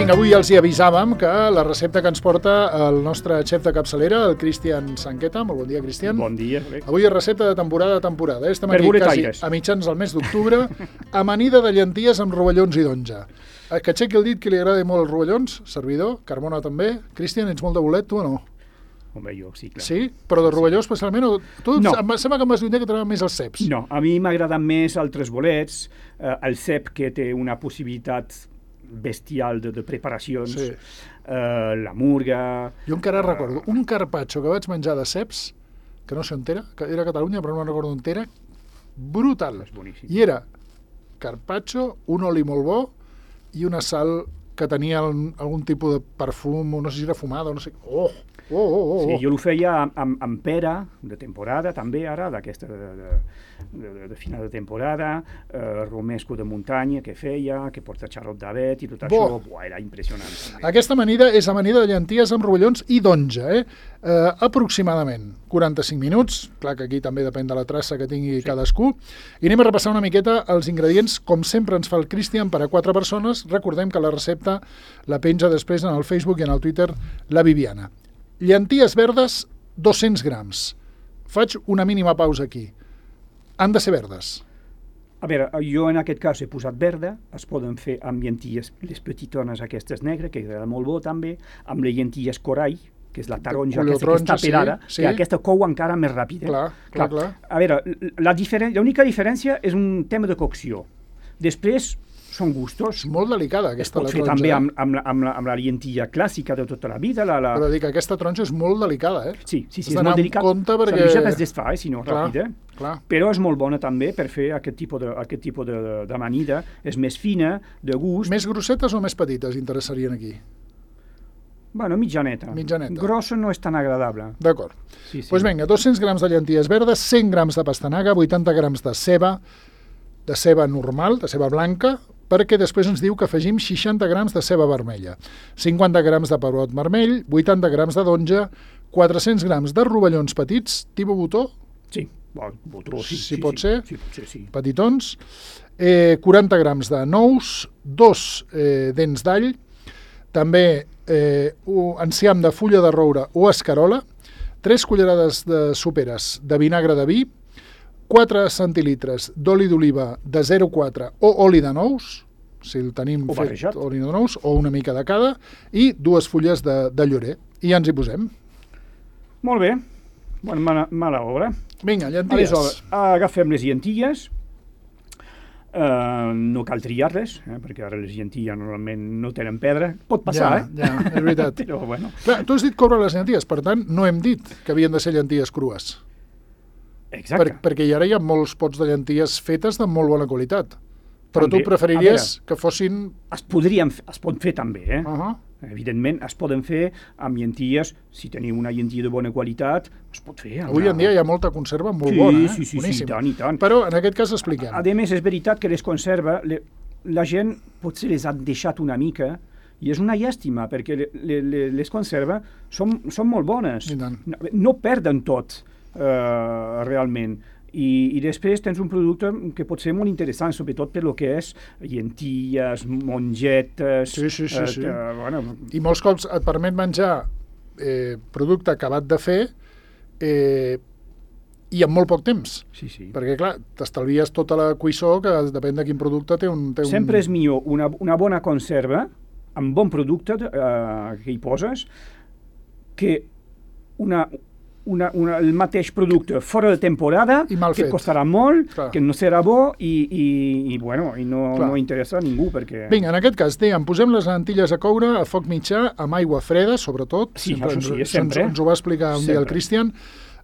Vinga, avui els hi avisàvem que la recepta que ens porta el nostre xef de capçalera, el Cristian Sanqueta. Molt bon dia, Cristian. Bon dia. Bé. Avui és recepta de temporada a temporada. Estem aquí quasi a mitjans del mes d'octubre. Amanida de llenties amb rovellons i d'onja. Que aixequi el dit que li agrada molt els rovellons. Servidor, Carmona també. Cristian, ets molt de bolet, tu o no? Home, jo sí, clar. Sí? Però de rovelló especialment? O... Tu no. Em sembla que em vas dir un dia que t'agraden més els ceps. No, a mi m'agraden més altres bolets. El cep que té una possibilitat bestial de preparacions, sí. La murga... Jo encara recordo un carpaccio que vaig menjar de ceps, que no sé on era, que era a Catalunya, però no recordo on era, brutal. És boníssim. I era carpaccio, un oli molt bo i una sal que tenia algun tipus de perfum, no sé si era fumada o no sé... Sí, jo ho feia amb pera de temporada, també ara, d'aquesta de final de temporada, romesco de muntanya que feia, que porta xarop d'avet i tot això, era impressionant. També. Aquesta amanida és amanida de llenties amb rovellons i d'onja, aproximadament 45 minuts, clar que aquí també depèn de la traça que tingui cadascú, i anem a repassar una miqueta els ingredients, com sempre ens fa el Cristian, per a 4 persones. Recordem que la recepta la penja després en el Facebook i en el Twitter la Viviana. Llenties verdes, 200 grams. Faig una mínima pausa aquí. Han de ser verdes. A veure, jo en aquest cas he posat verda, es poden fer amb llenties, les petitones aquestes negres, que agrada molt bo també, amb les llenties corall, que és la taronja aquesta que està pelada, que aquesta cou encara més ràpid. Clar. A veure, l'única diferència és un tema de cocció. Després són gustos. És molt delicada aquesta la taronja. Es pot fer també amb la lentilla clàssica de tota la vida. Però dic que aquesta taronja és molt delicada, Sí, és molt delicada. Perquè... Se es desfà, si no, ràpid, Però és molt bona també per fer aquest tipus d'amanida. És més fina, de gust. Més grossetes o més petites interessarien aquí? Bueno, mitjaneta. Grossa no és tan agradable. D'acord. Doncs vinga, 200 grams de llenties verdes, 100 grams de pastanaga, 80 grams de ceba normal, de ceba blanca, perquè després ens diu que afegim 60 grams de ceba vermella, 50 grams de pebrot vermell, 80 grams de d'onja, 400 grams de rovellons petits, tipus botó? Sí, botó, si pot ser, sí. Petitons, 40 grams de nous, 2 dents d'all, també enciam de fulla de roure o escarola, 3 cullerades de soperes de vinagre de vi, 4 centilitres d'oli d'oliva de 0,4 o oli de nous, si el tenim fet oli de nous, o una mica de cada, i 2 fulles de llorer. I ja ens hi posem. Molt bé. Mala obra. Vinga, llenties. Aleshores, agafem les llenties. No cal triar-les, perquè ara les llenties normalment no tenen pedra. Pot passar, Ja, és veritat. Però bueno. Clar, tu has dit coure les llenties, per tant, no hem dit que havien de ser llenties crues. Exacte. Perquè ara hi ha molts pots de llenties fetes de molt bona qualitat. Però tu preferiries que fossin... Es pot fer també, Evidentment, es poden fer amb llenties, si teniu una llentia de bona qualitat, es pot fer. Avui en dia hi ha molta conserva molt bona, Sí, boníssim. I tant. Però en aquest cas expliquem. A més, és veritat que les conserva, la gent potser les ha deixat una mica, i és una llàstima, perquè les conserva són molt bones. No perden tot. Realment. I després tens un producte que pot ser molt interessant, sobretot per lo que és llenties, mongetes... Sí. I molts cops et permet menjar producte acabat de fer i en molt poc temps. Sí. Perquè, clar, t'estalvies tota la cuissó, que depèn de quin producte té un... Sempre és millor una bona conserva, amb bon producte que hi poses, que el mateix producte fora de temporada, que costarà molt, que no serà bo i no interessa a ningú. Perquè... Vinga, en aquest cas, posem les lentilles a coure a foc mitjà, amb aigua freda, sobretot. Sí, sempre. Ens ho va explicar un dia el Cristian.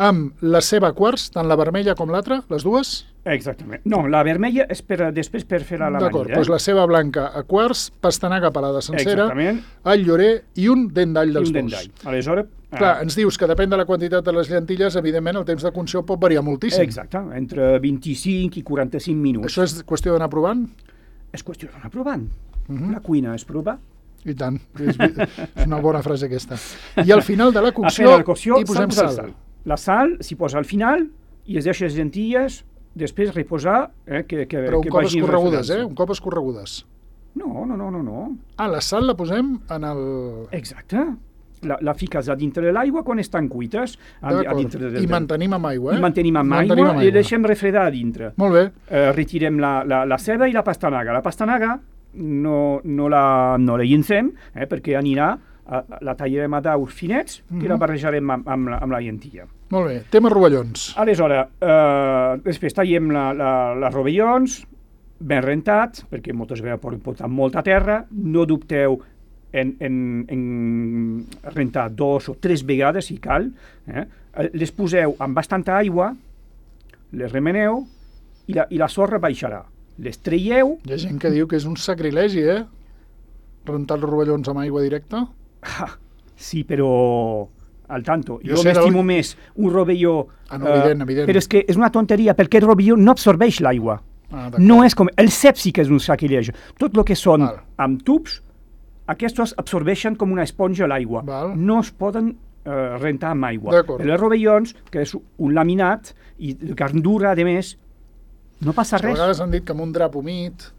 Amb la ceba a quarts, tant la vermella com l'altra, les dues? Exactament. No, la vermella és després per fer l'amanida. D'acord, doncs la ceba blanca a quarts, pastanaga pelada sencera, all llorer i un dent d'all dels dos. Aleshores... Clar, ens dius que depèn de la quantitat de les llentilles, evidentment el temps de cocció pot variar moltíssim. Exacte, entre 25 i 45 minuts. Això és qüestió d'anar provant? És qüestió d'anar provant. La cuina és provar. I tant, és una bona frase aquesta. I al final de la cocció hi posem sal. La sal s'hi posa al final i es deixa les llentilles, després reposar... Però un cop escorregudes, Un cop escorregudes. No. La sal la posem en el... Exacte. La fiques a dintre de l'aigua quan estan cuites. I mantenim amb aigua, I mantenim amb aigua i deixem refredar a dintre. Molt bé. Retirem la ceba i la pastanaga. La pastanaga no la llencem, perquè anirà, la tallarem a daus finets i la barrejarem amb la llentia. Molt bé. Tema rovellons. Aleshores, després tallem les rovellons, ben rentats, perquè moltes vegades poden portar molta terra. No dubteu en rentar 2 o 3 vegades si cal. Les poseu amb bastanta aigua, les remeneu i la sorra baixarà. Les traieu... Hi ha gent que diu que és un sacrilegi, rentar els rovellons amb aigua directa. Sí, però al tanto. Jo m'estimo més un rovelló... evident. Però és que és una tonteria, perquè el rovelló no absorbeix l'aigua. No és com... El cep sí que és un sacrilegi. Tot el que són amb tubs, aquests absorbeixen com una esponja l'aigua. No es poden rentar amb aigua. Els rovellons, que és un laminat, i gandura, a més, no passa res. A vegades han dit que amb un drap humit,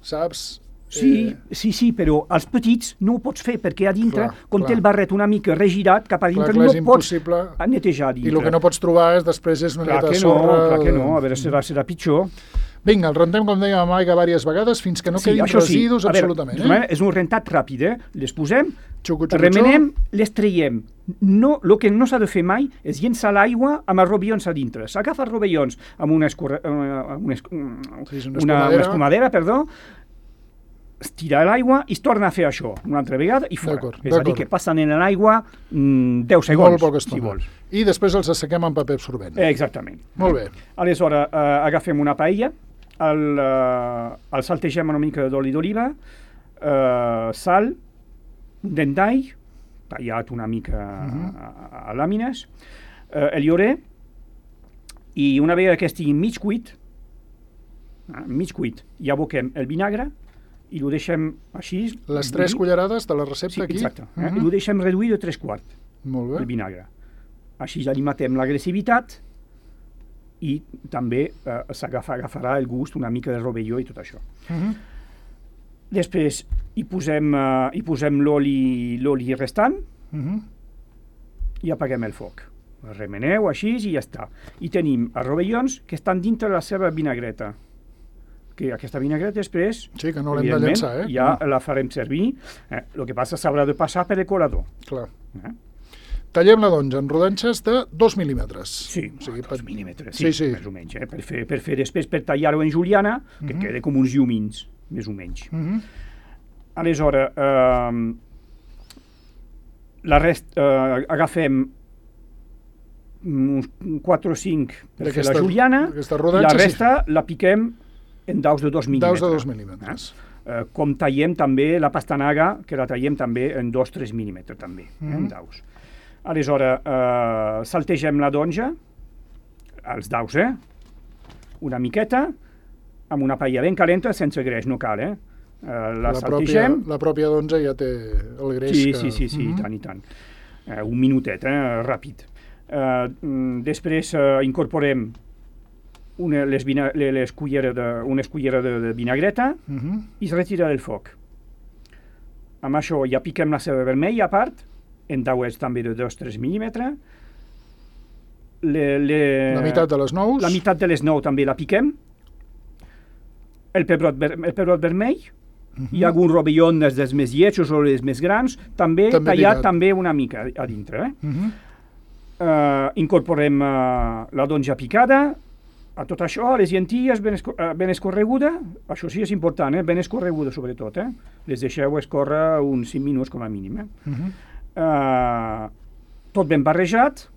saps? Sí, però els petits no ho pots fer, perquè a dintre, com té el barret una mica regirat, cap a dintre no pots netejar a dintre. I el que no pots trobar després és una miqueta de sorra... Clar que no, a veure, serà pitjor. Vinga, el rentem, com dèiem, amb aigua diverses vegades fins que no quedin residus absolutament. És un rentat ràpid, les posem, remenem, les traiem. El que no s'ha de fer mai és llençar l'aigua amb els rovellons a dintre. S'agafa els rovellons amb una escumadera, es tira l'aigua i es torna a fer això una altra vegada i fora. És a dir, que passen en l'aigua 10 segons, molt poca estona, si vols. I després els assequem amb paper absorbent. Exactament. Molt bé. Aleshores, agafem una paella, el saltegem una mica d'oli d'oliva, sal, un dent d'all, tallat una mica a làmines, el llorer, i una vegada que estigui mig cuit, ja aboquem el vinagre i ho deixem així... Les 3 cullerades de la recepta aquí? Sí, exacte. I ho deixem reduir de 3/4, el vinagre. Així ja li matem l'agressivitat i també agafarà el gust una mica de rovelló i tot això. Després hi posem l'oli restant i apaguem el foc. Remeneu així i ja està. I tenim els rovellons que estan dintre de la seva vinagreta. Que aquesta vinagreta després, que no l'hem de llençar, ja la farem servir. El que passa s'haurà de passar per el colador. Clar. Tallem la donja en rodanxes de 2 mil·límetres. Sí, 2 mil·límetres, sí, més o menys. Per fer després, per tallar-ho en juliana, que quede com uns llumins, més o menys. Aleshores, agafem uns 4 o 5 per fer la juliana, i la resta la piquem en daus de 2 mil·límetres. Daus de 2 mil·límetres. Com tallem també la pastanaga, que la tallem també en 2-3 mil·límetres, també, en daus. Aleshores, saltegem la donja, els daus, una miqueta, amb una paella ben calenta, sense greix, no cal, la saltegem. La pròpia donja ja té el greix. Sí, i tant. Un minutet, ràpid. Després incorporem unes culleres de vinagreta i es retira del foc. Amb això ja piquem la ceba vermella a part, en dauets també de 2-3 mil·límetres. La meitat de les nous. La meitat de les nous també la piquem. El pebrot vermell. Hi ha algun rovelló dels més lletjos o els més grans, també tallat també una mica a dintre. Incorporem la donja picada, a tot això, les llenties ben escorreguda, això sí és important, ben escorreguda sobretot, les deixeu escórrer uns 5 minuts com a mínim. Tot ben barrejat,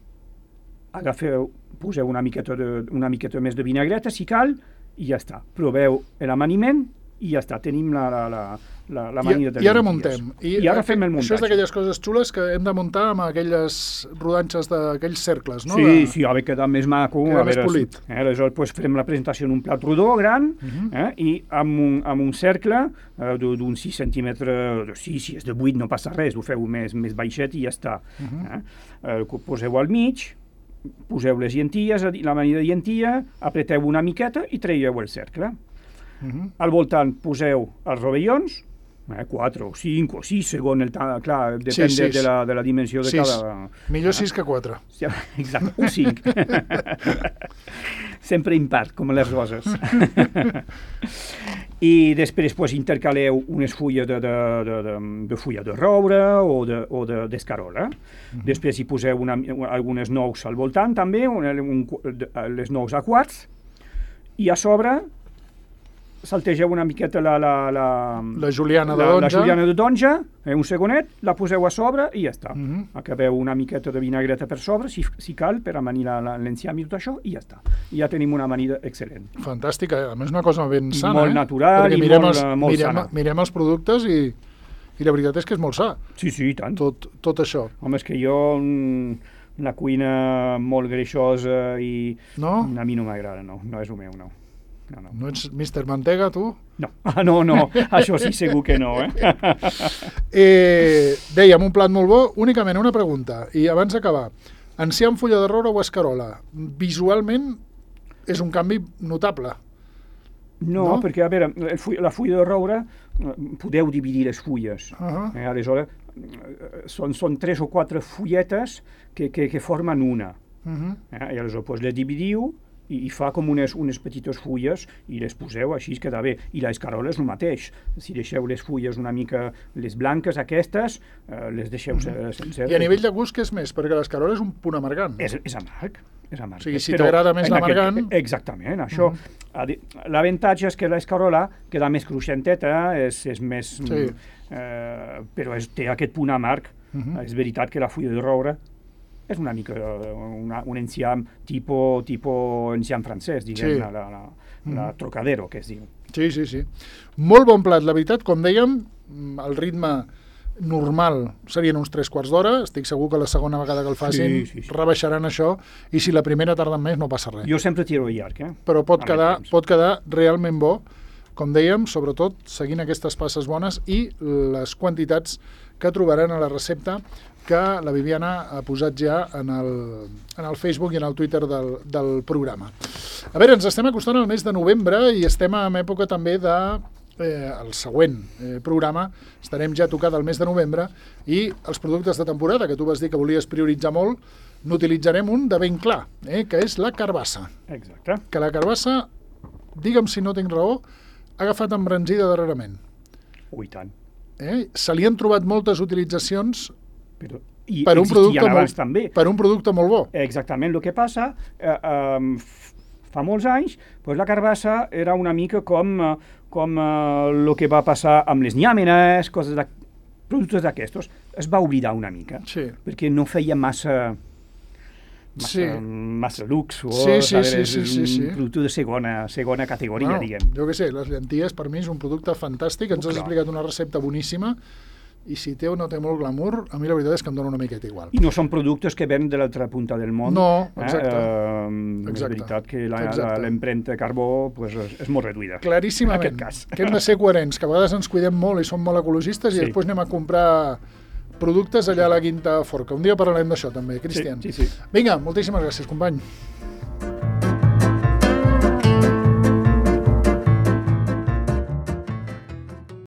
poseu una miqueta més de vinagreta si cal, i ja està. Proveu l'amaniment i ja està, tenim l'amanida de I ara muntem. I ara fem el muntatge. Això és d'aquelles coses xules que hem de muntar amb aquelles rodanxes d'aquells cercles, no? Sí, ha de quedar més maco. Queda més polit. Aleshores farem la presentació en un plat rodó, gran, i amb un cercle d'uns 6 centímetres, si és de 8 no passa res, ho feu més baixet i ja està. Poseu al mig, poseu les llenties, l'amanida de llentia, apreteu una miqueta i traieu el cercle. Al voltant poseu els rovellons, 4 o 5 o 6, segons el temps, clar, depèn de la dimensió de cada... Millor 6 que 4. Exacte, un 5. Sempre impar, com les roses. I després intercaleu unes fulles de fulla de roure o d'escarola. Després hi poseu algunes nous al voltant, també, les nous a quarts, i a sobre saltegeu una miqueta la juliana de donja. La juliana de donja, un segonet, la poseu a sobre i ja està. Acabeu una miqueta de vinagreta per sobre, si cal, per amanir l'enciam i tot això, i ja està. I ja tenim una amanida excel·lent. Fantàstica, a més una cosa ben sana. Molt natural i molt sana. Mirem els productes i la veritat és que és molt sa. Sí, i tant. Tot això. Home, és que jo... la cuina molt greixosa i... No? A mi no m'agrada, no és el meu, no. No ets Mr. Mantega, tu? No, no, això sí segur que no, Dèiem, un plat molt bo, únicament una pregunta, i abans d'acabar, enciam, fulla de roure o escarola, visualment és un canvi notable. No, perquè, a veure, la fulla de roure, podeu dividir les fulles. Aleshores, són 3 o 4 fulletes que formen una. I aleshores les dividiu i fa com unes petites fulles i les poseu, així es queda bé. I l'escarola és el mateix. Si deixeu les fulles una mica, les blanques aquestes, les deixeu sencer. I a nivell de gust, què és més? Perquè l'escarola és un punt amargant. És amarg. O sigui, si t'agrada més l'amargant... Exactament, això. L'avantatge és que l'escarola queda més cruixenteta, és més... Però té aquest punt amarg. És veritat que la fulla de roure és una mica un enciam tipus enciam francès, diguem, la Trocadero, que es diu. Sí. Molt bon plat, la veritat, com dèiem, el ritme normal serien uns 3/4 d'hora, estic segur que la segona vegada que el facin rebaixaran això, i si la primera tarden més no passa res. Jo sempre tiro llarg, Però pot quedar realment bo, com dèiem, sobretot seguint aquestes passes bones i les quantitats que trobaran a la recepta que la Viviana ha posat ja en el Facebook i en el Twitter del programa. A veure, ens estem acostant al mes de novembre i estem en època també el següent programa, estarem ja tocant el mes de novembre i els productes de temporada, que tu vas dir que volies prioritzar molt, n'utilitzarem un de ben clar, que és la carbassa. Exacte. Que la carbassa, digue'm si no tinc raó, ha agafat embranzida darrerament. I tant. Se li han trobat moltes utilitzacions per un producte molt bo. Exactament. El que passa, fa molts anys, la carbassa era una mica com el que va passar amb les nyàmenes, productes d'aquestos. Es va oblidar una mica, perquè no feia massa luxe, un producte de segona categoria, diguem. Jo què sé, les llenties per mi és un producte fantàstic, ens has explicat una recepta boníssima, i si té o no té molt glamour, a mi la veritat és que em dona una miqueta igual. I no són productes que venen de l'altra punta del món. No, exacte. És veritat que l'empremta de carbó és molt reduïda. Claríssimament. En aquest cas. Que hem de ser coherents, que a vegades ens cuidem molt i som molt ecologistes i després anem a comprar productes allà a la Quinta Forca. Un dia parlarem d'això també, Cristian. Sí. Vinga, moltíssimes gràcies, company.